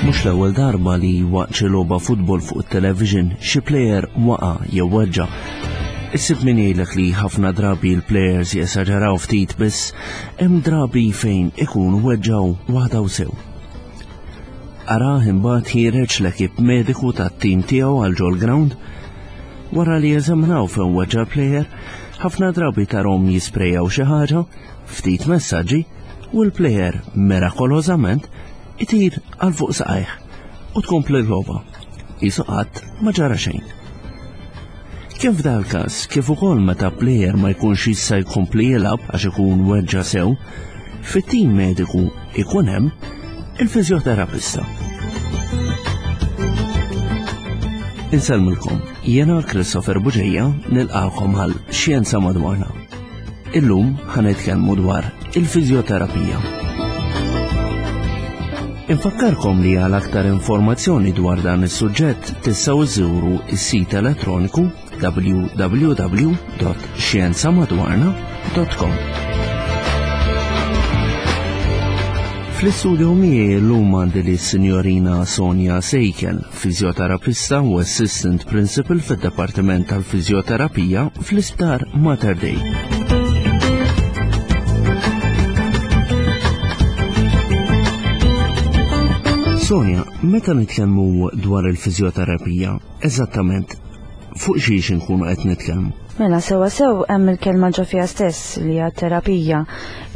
Mhux l-ewwel darba li waqt xi logħba futbol fuq it-television xi plejer waqa' jew weġġa'. Issib min jgħidlek li ħafna drabi l-plejers jesaġeraw ftit biss hemm drabi fejn ikunu weġġgħu waħda u sew. Arah imbagħad ħiereġ l-ekip mediku tat-tim tiegħu għal ġol-ground. Wara li jeżaminaw fejn weġġa' l-plejer, ħafna drabi tarhom jisprejjaw xi ħaġa, ftit messaġġi u l-plejer mirakolożament itir għal fuq saqajh u tkompli l-logħba. Qisu qatt ma ġara xejn. Kemm f'dal każ kif ukoll meta plejer ma jkunx jista' jkompli jilgħab għax ikun weġġa' sew, fit-tim mediku ikun hemm il-fiżjoterapista. Insellmilkom, jiena Christopher Buġeja nilqakom għal Xjenza Madwarna. Illum ħa nitkellmu dwar il-fiżjoterapija. Infakkarkom li għal aktar informazzjoni dwar dan is-suġġett tistgħu żżuru s-sit elettroniku www.xjenzamadwarna.com. Fl-istudio miegħi llum għandi li s-Sinjorina Sonja Sejkel, Fiżjoterapista u Assistant Principal fid-Dipartiment tal-Fiżjoterapija fl-Isptar Mater Dei. Sonja, meta nitkellmu dwar il-fiżjoterapija, eżattament fuq xiex inkunu qed nitkellmu? Mela, sewa sew hemm il-kelma ġo fiha stess li hija terapija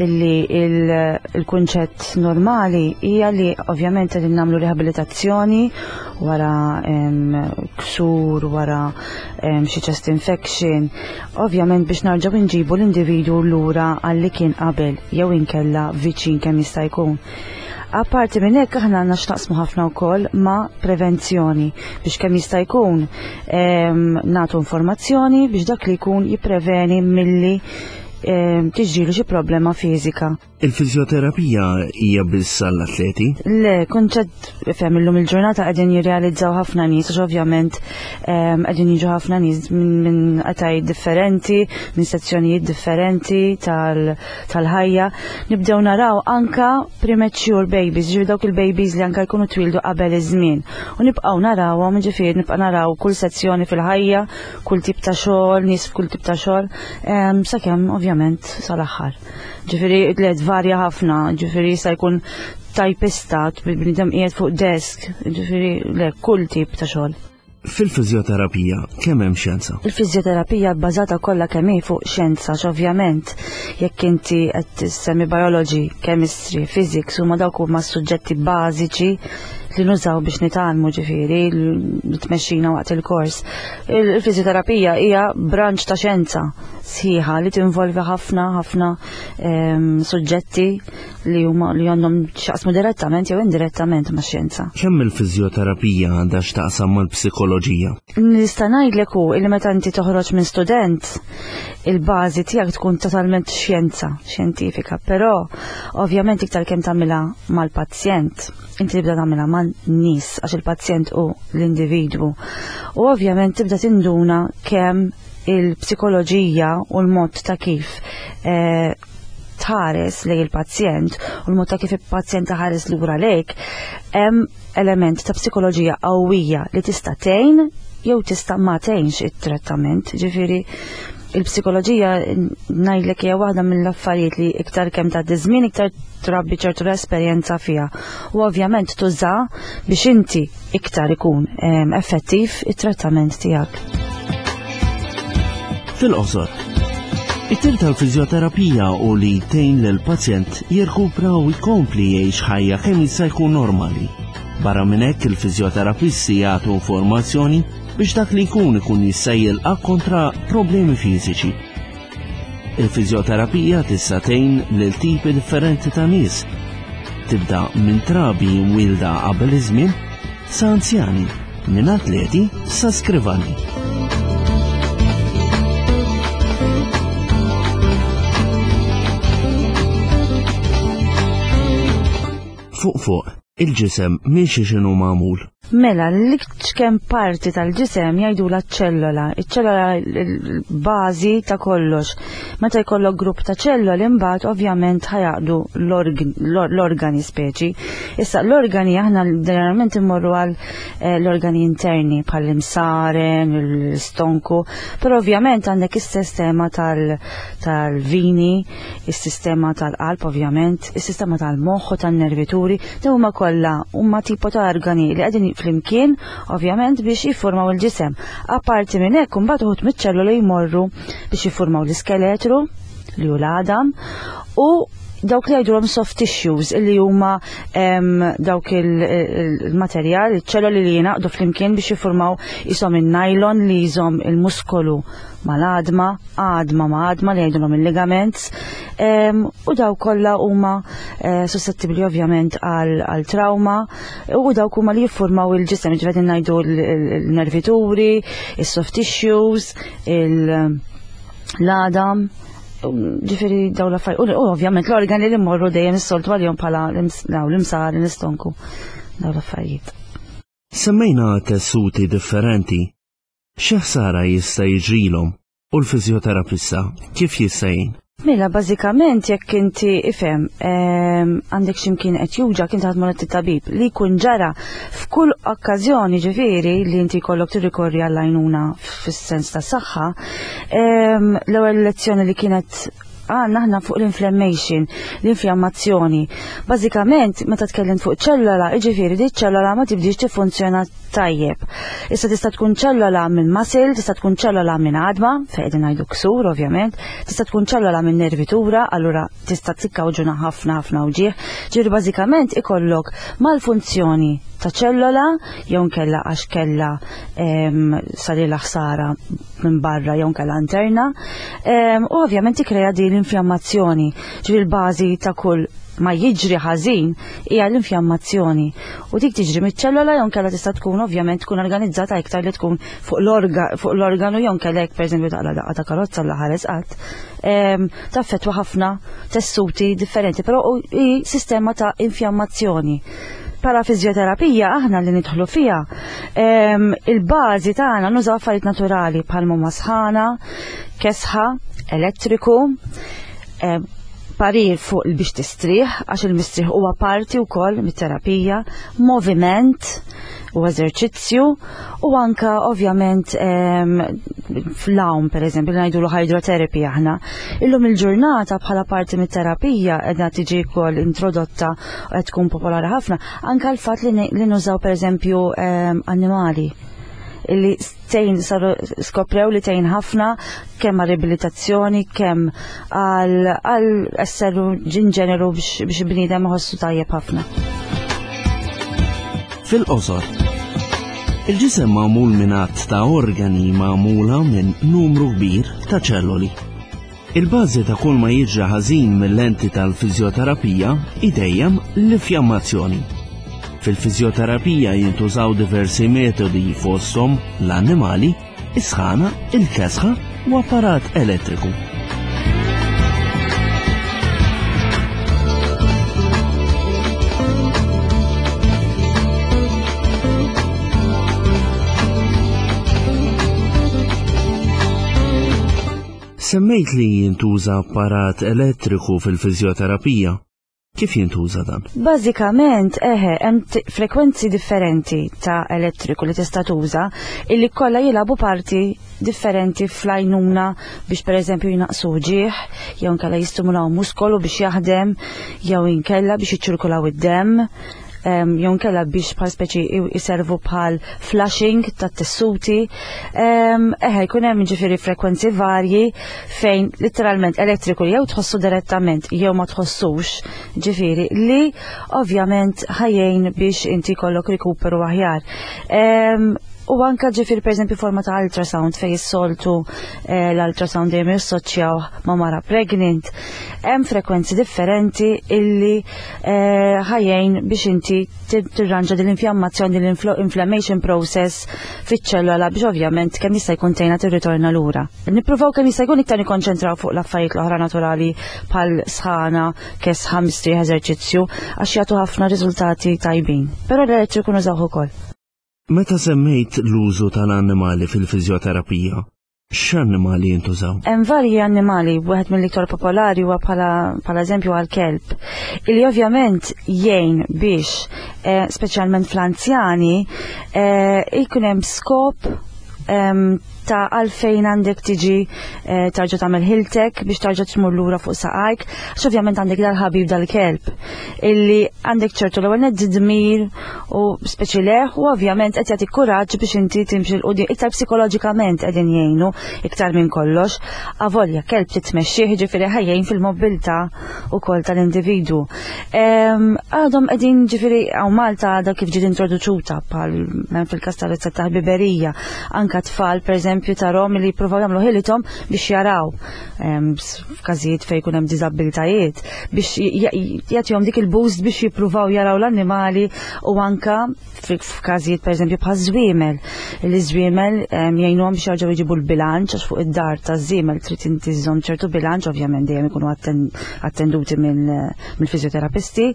illi il-kunċett normali hija li ovvjament qegħdin nagħmlu riabilitazzjoni wara ksur, wara xi chest infection, ovvjament biex narġgħu nġibu l-individwu lura għal li kien qabel jew inkella viċin kemm jista' jkun. Apparti minn hekk aħna għandna x'naqsmu ħafna wkoll ma' prevenzjoni biex kemm jista' jkun nagħtu informazzjoni biex dak li jkun jippreveni milli tiġrilu xi problema fiżika. Il-fiżjoterapija hija biss għall-atleti? Le, kunċett fem illum il-ġurnata qegħdin jirrealizzaw ħafna nies għax ovvjament qegħdin jiġu ħafna nies minn etajiet differenti, minn sezzjonijiet differenti tal-ħajja. Nibdew naraw anka premature babies, ġifieri dawk il-babies li anka jkunu twildu qabel iż-żmien. U nibqgħu narawhom, ġifieri nibqa' naraw kull sezzjoni fil-ħajja, kull tip ta' xogħol, nies f'kull tip ta' xogħol, sakemm ovvjament sal-aħħar. Ġifieri le tvarja ħafna, ġifieri jista' jkun tajpista, bniedem qiegħed fuq desk, ġifieri le kull tip ta' xogħol. Fil-fiżjoterapija kemm hemm xjenza? Il-fiżjoterapija bbażata kollha kemm hi fuq xjenza, ovvjament jekk inti qed tissemmi biology, chemistry, physics huma dawk huma s-suġġetti bażiċi li nużaw biex nitgħallmu ġifieri li tmexxina waqt il-kors. Il-fiżjoterapija hija branch ta' xjenza sħiħa li tinvolvi ħafna ħafna ehm, suġġetti li huma li għandhom x'jaqsmu direttament jew indirettament ma' xjenza. Kemm il-fiżjoterapija għandha x'taqsam mal-psikoloġija? Nista' ngħidlek hu li meta inti toħroġ minn student, il-bażi tiegħek tkun totalment xjenza, xjentifika, però ovvjament iktar kemm tagħmilha mal-pazjent, inti tibda tagħmilha man-nies għax il-pazjent hu l-individwu. U ovvjament tibda tinduna kemm il-psikoloġija u l-mod ta' kif eh, tħares lejn il-pazjent u l-mod ta' kif il-pazjent taħares lura lejk, hemm element ta' psikoloġija qawwija li tista' tgħin jew tista' ma tgħinx it-trattament. Ġifieri il-psikoloġija ngħidlek hija waħda mill-affarijiet li iktar kemm tgħaddi żmien iktar trabbi ċertu l-esperjenza fiha. U ovvjament tuża biex inti iktar ikun effettiv it-trattament tiegħek. Fil-qosor, it-tim tal-fiżjoterapija u li tgħin lil pazjent jirkupra u jkompli jgħix ħajja kemm jista' jkun normali. Barra minn hekk il-fiżjoterapisti jagħtu informazzjoni biex dak li jkun ikun jista' jilqa' kontra problemi fiżiċi. Il-fiżjoterapija tista' tgħin lil tipi differenti ta' nies. Tibda minn trabi mwielda qabel iż-żmien sa anzjani, minn atleti sa skrivani. Fuq fuq. Il-ġisem minn xiex inhu magħmul? Mela, l-iċken parti tal-ġisem jgħidula ċellola, iċ-ċellola l-bażi ta' kollox. Meta jkollok grupp ta' ċelloli imbagħad ovvjament ħajaqdu l-organi speċi. Issa l-organi aħna ġeneralment immorru għal eh, l-organi interni bħall-imsaren, l-istonku, però ovvjament għandek is-sistema tal-vini, is-sistema tal-qalb ovvjament, is-sistema tal-moħħ u tan-nervituri, dawn huma kollha huma tipo ta' organi li qegħdin flimkien ovvjament biex jiffurmaw il-ġisem. Apparti minn hekk imbagħad uħud miċ-ċelluli jmorru biex jiffurmaw l-iskeletru li hu l-għadam u dawk li jgħidulhom soft tissues illi huma dawk il-materjal, iċ-ċelloli li jingħaqdu flimkien biex jiffurmaw isom il-nylon li jżomm il-muskolu mal-għadma, għadma ma' għadma li jgħidulhom il-ligaments, u daw kollha huma eh, suscettibbli ovvjament għal trauma u dawk huma li jiffurmaw il-ġisem, ġifieri ngħidu l-nervituri, is-soft tissues, l-għadam, ġifieri daw l-affarijiet, u ovvjament l-organi li mmorru dejjem is-soltu għalihom bħala l-imsar, l-istonku, daw l-affarijiet. Semmejna tessuti differenti Xi ħsara jista' jiġrilhom u l-fiżjoterapista kif jista' jgħin? Mela, bażikament jekk inti ifhem ehm, għandek x'imkien qed juġa kien taħdmu tabib li jkun ġara f'kull okkażjoni ġifieri li inti jkollok tirrikorri għall-għajnuna fis-sens ta' saħħa, ehm, l-ewwel lezzjoni li kienet għandna aħna fuq l-inflammation, l-infjammazzjoni. Bażikament, meta tkellimt fuq ċellola, jiġifieri di ċellola ma tibdix tiffunzjona tajjeb. Issa tista' tkun ċellola minn muscle, tista' tkun ċellola minn għadma, fejn qegħdin ngħidu ksur ovvjament, tista' tkun ċellola minn nervitura, allura tista' tikkawġuna ħafna ħafna uġigħ. Ġifieri bażikament ikollok malfunzjoni ta' ċellola jew nkella għax kellha sarilha ħsara minn barra jew nkella interna. U ovvjament tikkrea din l-infjammazzjoni. Ġifieri l-bażi ta' kull ma jiġri ħażin hija l-infjammazzjoni. U dik tiġri miċ-ċellola jew nkella tista' tkun ovvjament tkun organizzata iktar li tkun fuq l-organu jew nkella jekk pereżempju taqla daqqa ta' karozza l ħares qatt. Taffettwa ħafna tessuti differenti, però hi sistema ta' infjammazzjoni. Pala fiżjoterapija aħna li nidħlu fiha, il-bażi tagħna nużaw affarijiet naturali bħal huma sħana, kesħa, elettriku, parir fuq biex tistrieħ, għax il-mistrieħ huwa parti wkoll mit-terapija, moviment u eżerċizzju u anka ovvjament fl-għawm per eżempju li ngħidulu hydrotherapy aħna. Illum il-ġurnata bħala parti mit-terapija qiegħda tiġi wkoll introdotta u qed tkun popolari ħafna anka l-fatt li nużaw per eżempju annimali illi tgħin saru skoprew li tgħin ħafna kemm għal riabilitazzjoni, kemm għal esseru in ġeneru biex bniedem iħossu tajjeb ħafna. Fil-qosor, il-ġisem magħmul minn għadd ta' organi magħmula minn numru kbir ta' ċelloli. Il-bażi ta' kull ma jiġri ħażin mill-lenti tal-fiżjoterapija hi dejjem l-infjammazzjoni. Fil-fiżjoterapija jintużaw diversi metodi fosthom l-annimali, is-sħana, il-kesħa u apparat elettriku. Semmejt li jintuża apparat elettriku fil-fiżjoterapija. Kif jintuża dan? Bażikament, eħe, hemm frekwenzi differenti ta' elettriku li tista' tuża illi kollha jilagħbu parti differenti fl-għajnuna biex pereżempju jnaqqsu uġigħ, jew inkella jistimulaw muskolu biex jaħdem, jew inkella biex jiċċirkulaw id-demm jew inkella biex bħal speċi jiservu bħal flushing tat-tessuti. Eħe, jkun hemm ġifieri frekwenzi varji fejn literalment elettriku jew tħossu direttament jew ma tħossux, ġifieri li ovvjament ħajjejn biex inti jkollok rikuperu aħjar. U anka ġifir per eżempju forma ta' ultrasound fej is-soltu eh, l-ultrasound dejjem jassoċjaw ma' mara pregnant. Hemm frekwenzi differenti illi eh, ħajjejn biex inti tirranġa din l-infjammazzjoni, din l-inflammation process fiċ-ċellola biex ovvjament kemm jista' jkun tgħinha tirritorna lura. Nippruvaw kemm jista' jkun iktar nikkonċentraw fuq l-affarijiet l-oħra naturali bħal sħana, kesħa, mistrieħ, eżerċizzju għax jagħtu ħafna riżultati tajbin. Però l-elettriku nużawh ukoll. Meta semmejt l-użu tal-annimali fil-fiżjoterapija, x'annimali jintużaw? Hemm varji annimali, wieħed mill-iktar popolari huwa bħala bħala eżempju għall-kelb, illi ovvjament jgħin biex eh, speċjalment fl-anzjani eh, jkun hemm skop ehm, ta' għalfejn għandek tiġi eh, tarġa' tagħmel ħiltek biex tarġa' tmur lura fuq saqajk, għax ovvjament għandek dal-ħabib dal-kelb illi għandek ċertu l-ewwel nett dmir u speċi leħ u ovvjament qed jagħtik kuraġġ biex inti timxi l qudiem iktar psikoloġikament qegħdin jgħinu iktar minn kollox. Avolja kelb titmexxih ġifieri ħajjejn fil-mobilità ukoll tal-individwu. Għadhom qegħdin ġifieri hawn Malta għadha kif ġiet introduċuta bħal hemm fil-każ tal-rizzetta ta' ħbiberija, anka tfal pereżempju tarhom li jippruvaw jagħmlu ħilithom biex jaraw f'każijiet fejn jkun hemm diżabbiltajiet biex jagħtihom dik il-boost biex jippruvaw jaraw l-annimali u anka f'każijiet pereżempju bħal żwiemel. Li żwiemel jgħinuhom biex jerġgħu jġibu l-bilanċ għax fuq id-dar taż-żiemel trid inti żżomm ċertu bilanċ, ovvjament dejjem ikunu attenduti mill-fiżjoterapisti.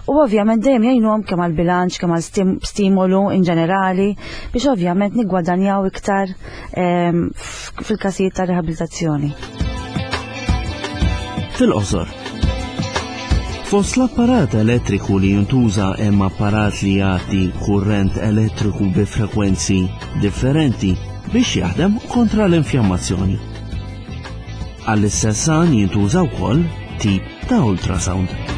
U ovvjament dejjem jgħinuhom kemm għall-bilanċ, kemm għal stimolu in ġenerali biex ovvjament niggwadanjaw iktar fil-każijiet ta' riabilitazzjoni. Fil-qosor, Fost l-apparat elettriku li jintuża hemm apparat li jagħti kurrent elettriku bi frekwenzi differenti biex jaħdem kontra l-infjammazzjoni. Għall-istess għan jintuża wkoll tip ta' ultrasound.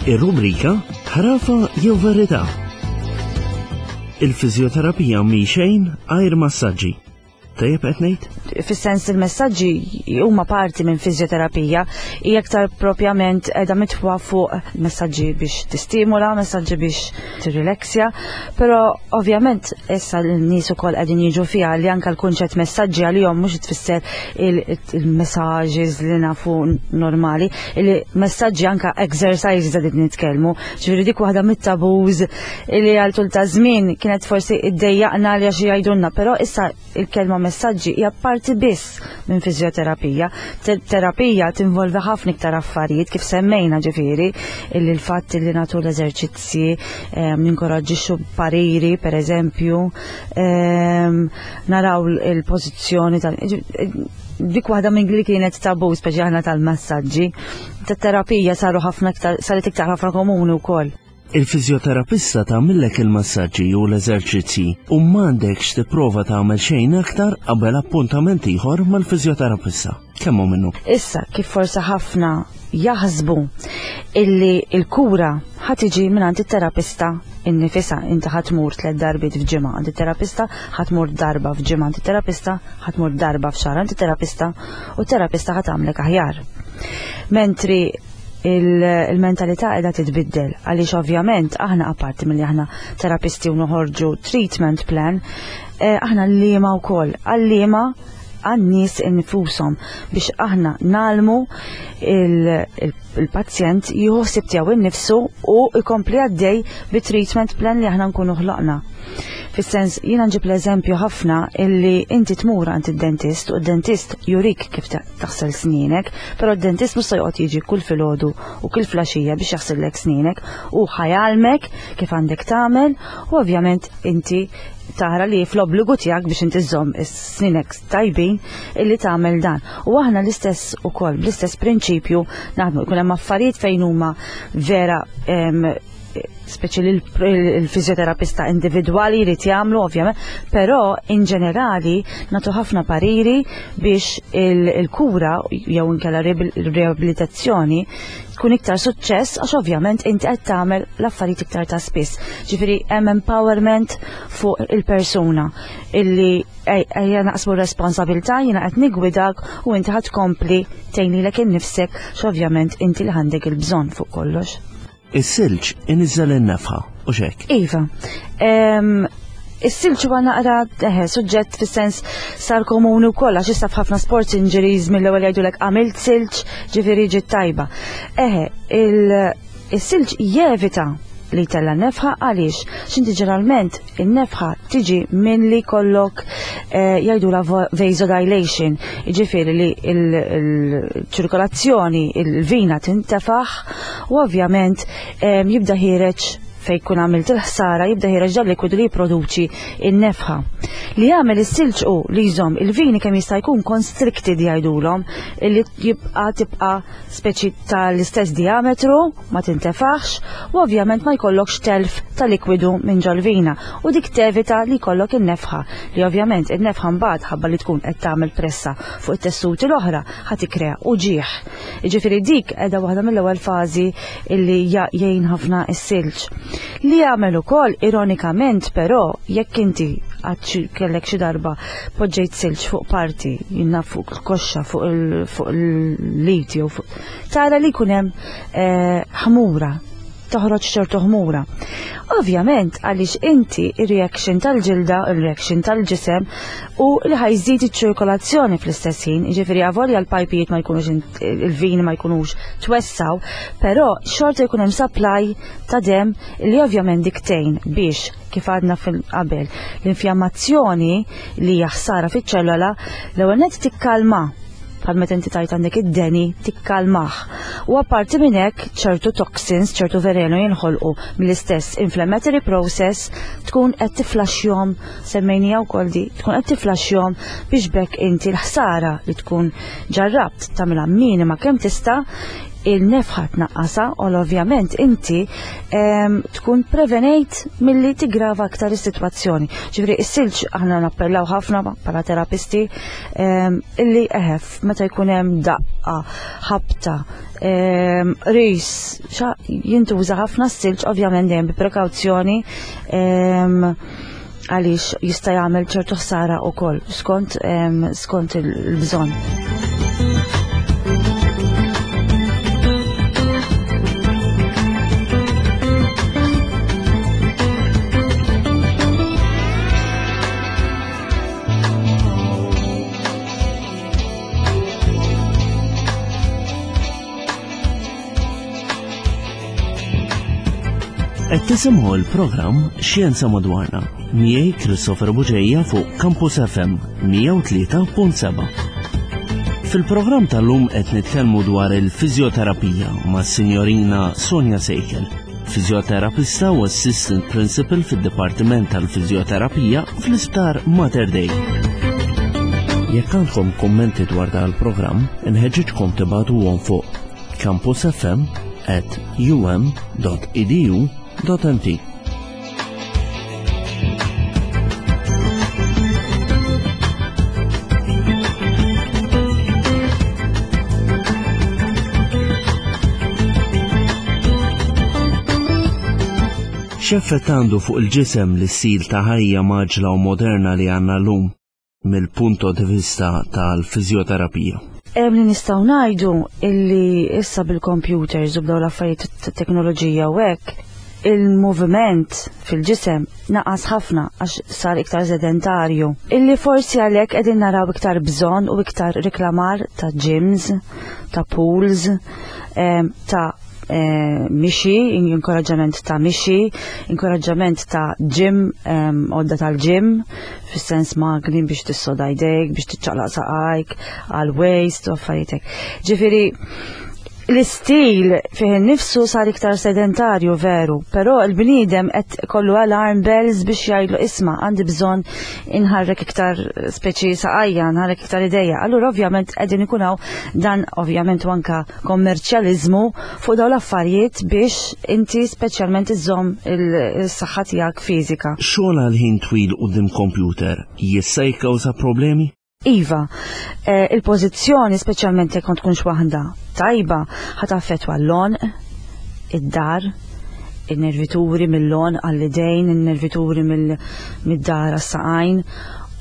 Ir-rubrika Ħrafa jew Verità. Il-fiżjoterapija mhi xejn għajr massaġġi. Tajjeb qed ngħid? Fis-sens il-messaġġi huma parti minn fiżjoterapija, hija aktar propjament qiegħda mitwa fuq messaġġi biex tistimula, messaġġi biex tirrileksja, però ovvjament issa l-nies ukoll qegħdin jiġu fiha li anke l-kunċett messaġġi għalihom mhux tfisser il-messages li nafu normali, li messaġġi anke exercises qegħdin nitkellmu, ġifieri dik waħda mit-tabuż li għal tul ta' żmien kienet forsi iddejjaqna li għax jgħidulna, però issa il-kelma messaġġi hija parti biss minn fiżjoterapija. Terapija tinvolvi ħafna iktar affarijiet kif semmejna ġifieri illi l-fatt li nagħtu l-eżerċizzji, ehm, ninkoraġġixxu pariri pereżempju, ehm, naraw il-pożizzjoni tal dik waħda minn li kienet tabu speċi aħna tal-massaġġi. Tat-terapija saru ħafna iktar saret iktar ħafna komuni wkoll. Il-fiżjoterapista tagħmillek il-massaġġi u l-eżerċizzji u m'għandekx tipprova tagħmel xejn aktar qabel appuntament ieħor mal-fiżjoterapista. Kemm hu minnu? Issa, kif forsi ħafna jaħsbu illi l-kura ħa tiġi mingħand it-terapista innifisha, inti ħa tmur tliet darbiet f'ġimgħa għand it-terapista, ħa tmur darba f'ġimgħa għand it-terapista, ħa tmur darba f'xahar għand it-terapista u t-terapista ħa tagħmlek aħjar. Mentri il-mentalità qiegħda titbiddel għaliex ovvjament aħna apparti milli aħna terapisti u noħorġu treatment plan, eh, aħna l-liema wkoll, għal-liema għan-nies infushom biex aħna nalmu il-pazjent jieħu ħsieb tiegħu innifsu u jkompli għaddej bi treatment plan li aħna nkunu ħloqna. Fis-sens, jiena nġib l-eżempju ħafna illi inti tmur għand id-dentist u d-dentist jurik kif taħsel snienek, però d-dentist mhux se joqgħod jiġi kull filgħodu u kull flaxija biex jaħsillek snienek u ħajalmek kif għandek tagħmel u ovvjament inti tara li fl-obbligu tiegħek biex inti żżomm is-snienek tajbin illi tagħmel dan. U aħna l-istess ukoll bl-istess prinċipju naħdmu jkun hemm affarijiet fejn huma vera. speċi li l-fizjoterapista individwali jrid jagħmlu ovvjament, però in ġenerali nagħtu ħafna pariri biex il-kura jew inkella riabilitazzjoni tkun iktar suċċess għax ovvjament inti qed tagħmel l-affarijiet iktar ta' spiss. Ġifieri hemm empowerment fuq il-persuna illi ejja naqsmu responsabilità jiena qed nigwidak u inti ħadd tkompli tgħinilek innifsek x'ovvjament inti li għandek il-bżonn fuq kollox. Is-silġ iniżżel in-nefħa u xek. Iva. Is-silġ huwa naqra eħe suġġett fis-sens sar komuni wkoll għax issa f'ħafna sports injuries mill-ewwel jgħidulek għamilt silġ, ġifieri ġiet tajba. Eħe, is-silġ jevita li tella nefħa għaliex x'inti ġeneralment in-nefħa tiġi minn li kollok eh, jgħidula vasodilation, jiġifieri li l-ċirkolazzjoni, il-vina tintefaħ u ovvjament eh, jibda ħireġ fej kun għamilt il-ħsara jibda ħireġ dan likwidu li jipproduċi in-nefħa. Li jagħmel is-silġ u li jżomm il-vini kemm jista' jkun constricted jgħidulhom li jibqa' tibqa' speċi tal-istess diametru, ma tintefaħx u ovvjament ma jkollokx telf ta' likwidu minn ġol-vina u dik tevita li jkollok in-nefħa li ovvjament in-nefħa mbagħad ħabba li tkun qed tagħmel pressa fuq it-tessuti l-oħra ħa tikkrea uġigħ. Jiġifieri dik qiegħda waħda mill-ewwel fażi illi jgħin ħafna s-silġ. Li jagħmel ukoll ironikament però jekk inti għad kellek xi darba poġġejt silġ fuq parti, jinna fuq il-koxxa, fuq il-lit jew fuq. Tara li jkun hemm eh, ħmura, toħroġ ċertu ħmura. Ovvjament għaliex inti ir-reaction tal-ġilda, ir-reaction tal-ġisem u li ħajżid iċ-ċirkolazzjoni fl-istess ħin, jiġifieri avolja l-pajpijiet ma jkunux il-vini ma jkunux twessaw, però xorta jkun hemm supply ta' dem li ovvjament diktejn biex kif għadna fil-qabel l-infjammazzjoni li hija ħsara fiċ-ċellola l-ewwel nett tikkalma bħal meta inti tajt għandek id-deni tikkalmah. U apparti minn hekk ċertu toxins, ċertu velenu jinħolqu mill-istess inflammatory process tkun qed tiflaxxjhom semmejnija wkoll di, tkun qed tiflaxxjhom biex bekk inti l-ħsara li tkun ġarrabt tagħmilha minima kemm tista' il-nefħa tnaqqasha u ovvjament inti tkun prevenejt milli tigrava aktar is-sitwazzjoni. Ġifieri is-silġ aħna nappellaw ħafna bħala terapisti illi eħef meta jkun hemm daqqa, ħabta, ris, jintuża ħafna s-silġ ovvjament dejjem bi prekawzjoni għaliex jista' jagħmel ċertu ħsara wkoll skont skont il-bżonn. Qed tisimgħu l-programm Xjenza Madwarna miegħi Christopher Buġeja fuq Campus FM 103.7. Fil-programm tal-lum qed nitkellmu dwar il-fiżjoterapija mas-Sinjorina Sonja Sejkel, fiżjoterapista u assistant principal fid-Dipartiment tal-Fiżjoterapija fl-Isptar Mater Dei. Jekk għandkom kummenti dwar dan il-programm, inħeġġiġkom tibagħtuhom fuq campusfm at um.edu.mt. X'effett għandu fuq il-ġisem l-istil ta' ħajja mgħaġġla u moderna li għandna llum? mill-punto di vista tal-fiżjoterapija? Hemm li nistgħu ngħidu illi issa bil-computers u b'dawn l-affarijiet ta' teknoloġija u hekk, il-moviment fil-ġisem naqas ħafna għax sar iktar sedentarju. Illi forsi għalhekk qegħdin naraw iktar bżonn u iktar reklamar ta' gyms, ta' pools, ta' Eh, mixi, inkoraġġament ta' mixi, inkoraġġament ta' gym, għodda tal-gym, fis-sens magni biex tissoda jdejk, biex tiċċaqlaq saqajk, għal waist u affarijiet hekk. Ġifieri, L-istil fih innifsu sar iktar sedentarju veru, però l-bniedem qed kollu alarm bells biex jgħidlu isma' għandi bżonn inħarrek iktar speċi saqajja, nħarrek iktar idejja. Allura ovvjament qegħdin ikun hawn dan ovvjament u anka kommerċjaliżmu fuq dawn l-affarijiet biex inti speċjalment iżżomm is-saħħa tiegħek fiżika. Xogħol għal ħin twil quddiem kompjuter jista' jikkawża problemi? Iva, eh, il-pożizzjoni speċjalment jekk ma tkunx waħda tajba ħa taffettwa l-għonq, id-dar, in-nervituri mill-għonq għall-idejn, in-nervituri mid-dar għas-saqajn.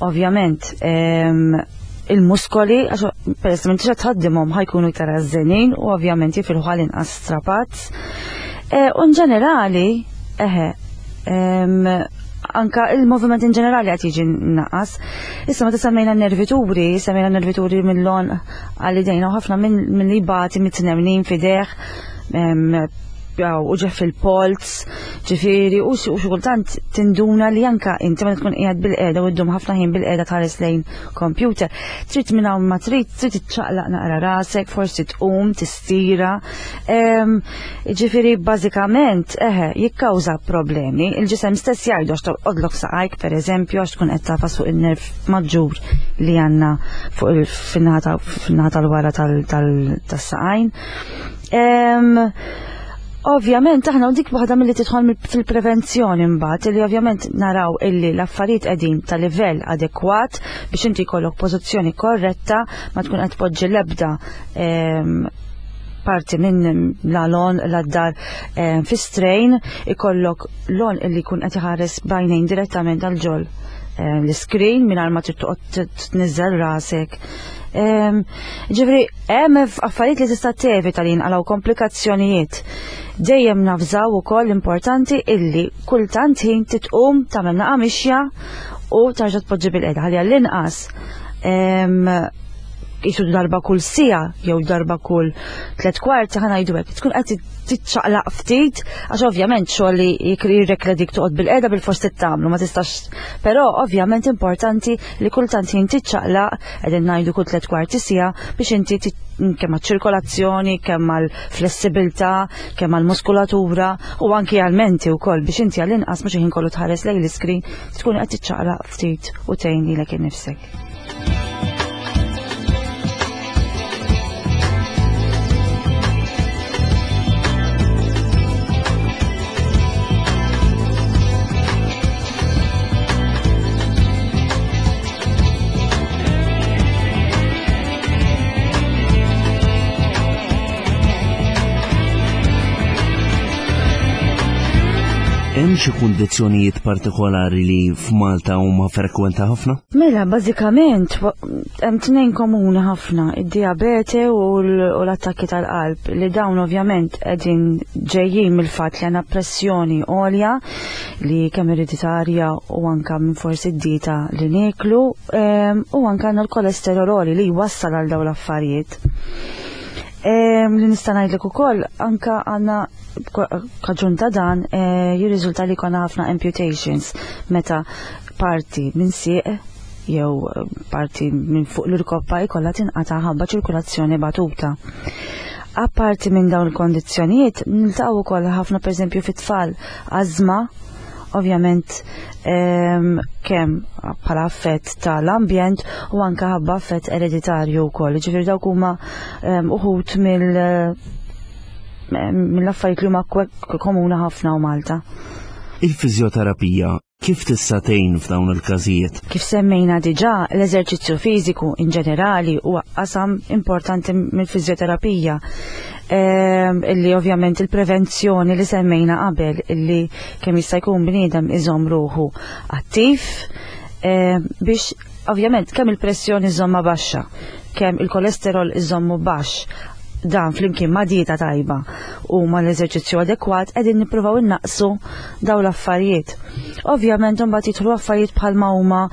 Ovvjament, ehm, il-muskoli, għax peress li m'intix tħaddimhom ħajkunu iktar għażżenin u ovvjament jifilħu għal inqas strapazz. Eh, u ġenerali, eħe, ehm, anka il-moviment in ġenerali qed jiġi naqas. Issa meta semmejna nervituri, semmejna nervituri mill-lon għal-idejna u ħafna minn li bati mit-tnemnin fideħ, u ġef fil-polz, ġifiri, u xi kultant tinduna li anka inti ma tkun qiegħed bil-qiegħda u ddum ħafna ħin bil-qiegħda tħares lejn computer, trid minn hawn ma trid, trid iċċaqlaq naqra rasek, forsi tqum, tistira. Ġifiri, bażikament, eħe, jikkawża problemi. Il-ġisem stess jgħidu għax torqodlok saqajk, per eżempju, għax tkun qed tafas fuq il-nerv maġġur li għandna fuq fin-naħa tal-wara tas-saqajn. Ovvjament, aħna u dik waħda milli tidħol fil-prevenzjoni mbagħad, li ovvjament naraw illi l-affarijiet qegħdin ta' livell adekwat biex inti jkollok pożizzjoni korretta ma tkun qed tpoġġi l-ebda parti minn l-għonq la d-dar fi strain, ikollok l-għonq illi jkun qed iħares bajnejn direttament għal ġol l-screen mingħajr ma trid toqgħod tniżżel rasek. Ġifieri, hemm affarijiet li tista' tevita li jinqalgħu komplikazzjonijiet. Dejjem navżaw ukoll importanti illi kultant ħin titqum tagħmel naqa' mixja u tarġa' tpoġġi bil-qiegħda ħalli għall-inqas jisu darba kull siegħa jew darba kull 3/4 ħa ngħidu hekk, tkun qed tiċċaqlaq ftit, għax ovvjament xogħol li jirrekla dik toqgħod bil-qiegħda bil-fors tagħmlu ma tistax. Però ovvjament importanti li kultant ħin tiċċaqlaq, qegħdin ngħidu kull 3/4 siegħa biex inti kemm għaċ-ċirkolazzjoni, kemm għall-flessibilità, kemm għall-muskulatura u anki għall-menti wkoll biex inti għall-inqas mhux ħin kollu tħares lejn l-iskrin tkun qed tiċċaqlaq ftit u tgħin lilek innifsek. Hemm xi kundizzjonijiet partikolari li f'Malta huma frekwenti ħafna? Mela, bażikament hemm tnejn komuni ħafna, id-diabete u l-attakki tal-qalb li dawn ovvjament qegħdin ġejjin mill-fatt li għandna pressjoni għolja li kemm ereditarja u anka minn forsi d-dieta li nieklu u anka għandna l-kolesterol għoli li jwassal għal dawn l-affarijiet. Li nista' ngħidlek ukoll anka għandna kaġun ta' dan jirriżulta li jkollna ħafna amputations meta parti minn sieq jew parti minn fuq l-irkoppa jkollha tinqata' ħabba ċirkulazzjoni batuta. Apparti minn dawn il-kondizzjonijiet, niltaqgħu wkoll ħafna pereżempju fit-tfal ażma, ovvjament kemm bħala affett tal-ambjent u anke ħabba affett ereditarju wkoll. Ġifieri dawk huma uħud mill-affarijiet li huma komuni ħafna u Malta. Il-fiżjoterapija kif tista' tgħin f'dawn il-każijiet? Kif semmejna diġà, l-eżerċizzju fiżiku in ġenerali huwa qasam importanti mill-fiżjoterapija. Illi ovvjament il-prevenzjoni li semmejna qabel illi kemm jista' jkun bniedem iżomm ruħu attiv biex ovvjament kemm il-pressjoni żomma baxxa, kemm il-kolesterol iżommu baxx, dan flimkien ma' dieta tajba u ma' l-eżerċizzju adekwat qegħdin nippruvaw innaqsu dawn l-affarijiet. Ovvjament imbagħad jidħlu affarijiet bħalma huma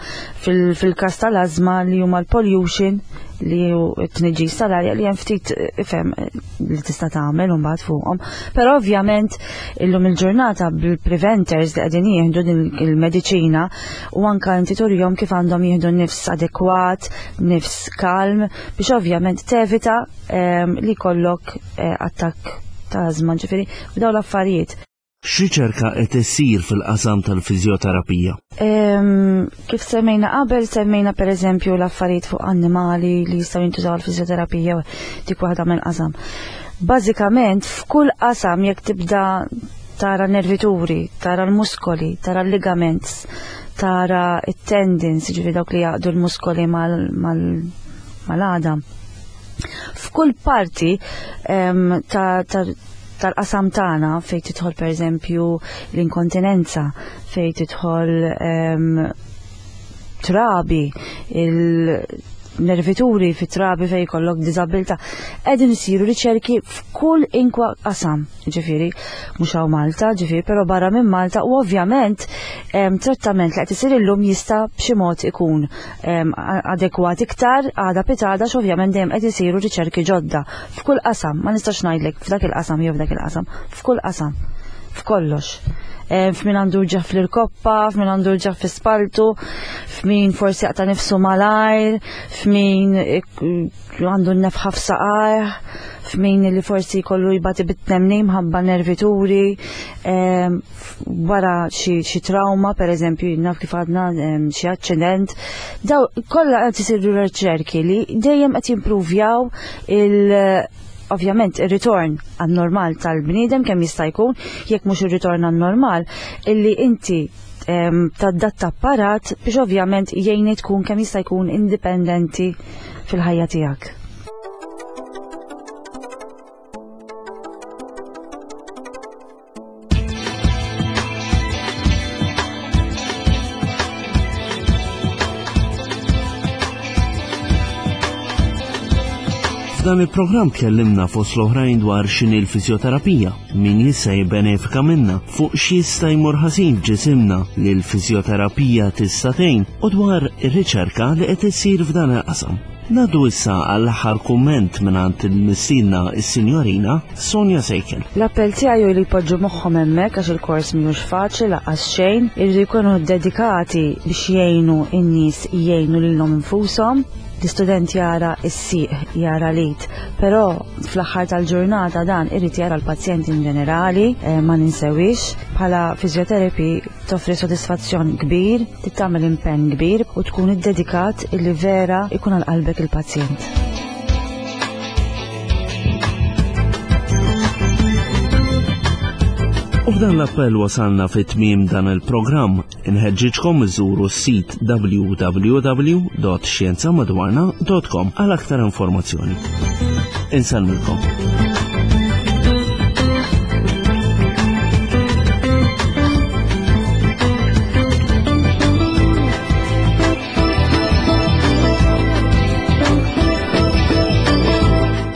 fil-każ tal-ażma li huma l-pollution. li hu t-tniġġis tal-arja li hemm ftit ifhem li tista' tagħmel imbagħad fuqhom. Però ovvjament illum il-ġurnata bil-preventers li qegħdin jieħdu din il-mediċina u anka inti turihom kif għandhom jieħdu nifs adekwat, nifs kalm biex ovvjament tevita ehm, li jkollok eh, attakk ta' ażma ġifieri b'dawn l-affarijiet. X'riċerka qed issir fil-qasam tal-fiżjoterapija? Kif semmejna qabel, semmejna pereżempju l-affarijiet fuq annimali li jistgħu jintużaw għall-fiżjoterapija dik waħda mill-qasam. Bażikament f'kull qasam jekk tibda tara nervituri, tara l-muskoli, tara l-ligaments, tara it-tendons, ġifieri dawk li jaqdu l-muskoli mal-għadam. F'kull parti ta' tal-qasam tagħna fejn tidħol pereżempju l-inkontinenza, fejn tidħol trabi, il-nervituri fit trabi fejn jkollok diżabilità. Qegħdin isiru riċerki f'kull inkwa qasam, ġifieri, mhux hawn Malta, ġifieri, però barra minn Malta u ovvjament trattament li qed isir illum jista' b'xi mod ikun adekwat iktar għada pitada x'ovvjament dejjem qed isiru riċerki ġodda f'kull qasam, ma nistax ngħidlek f'dak il-qasam jew f'dak il-qasam, f'kull qasam, f'kollox. F'min għandu ġaf fl-irkoppa, f'min għandu ġaf fl-spaltu, f'min forsi jaqta' nifsu malajr, f'min għandu n-nefħa f'saqajh, f'min li forsi jkollu jbati bit-tnemnim ħabba nervituri, wara xi trauma, per eżempju, naf kif għadna xi aċċident, daw kollha qed isiru riċerki li dejjem qed jimpruvjaw il ovvjament ir-ritorn għan-normal tal-bniedem kemm jista' jkun, jekk mhux ir-ritorn għan-normal, illi inti tadatta apparat biex ovvjament jgħini tkun kemm jista' jkun indipendenti fil-ħajja tiegħek. F'dan il-programm tkellimna fost l-oħrajn dwar x'inhi l-fiżjoterapija, min jista' jibbenefika minnha, fuq x'jista' jmur ħażin f'ġisimna li l-fiżjoterapija tista' tgħin u dwar ir-riċerka li qed issir f'dan il-qasam. Ngħaddu issa għall-aħħar kumment mingħand il-mistiedna is-Sinjorina Sonja Sejkel. L-appell tiegħi hu li jpoġġu moħħhom hemmhekk għax il-kors mhijiex faċli lanqas xejn, iridu jkunu dedikati biex jgħinu n-nies jgħinu lilhom infushom. L-istudent jara s-sieq, jara l-id, però fl-aħħar tal-ġurnata dan irid jara l-pazjent in ġenerali, eh, ma ninsewix. Bħala physiotherapy toffri sodisfazzjon kbir, tagħmel impenn kbir u tkun iddedikat illi vera ikun għal qalbek il-pazjent. U f'dan l-appell wasalna fit tmiem dan il-programm. Inħeġġiġkom iżuru s-sit www.xjenzamadwarna.com għal aktar informazzjoni. Insellmilkom.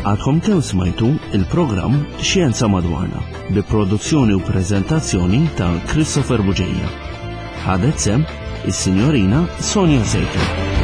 Għadkom kemm smajtu il-programm Xjenza Madwarna bi produzzjoni u preżentazzjoni ta' Christopher Buġeja. Ħadet sem is-Sinjorina Sonja Sejker.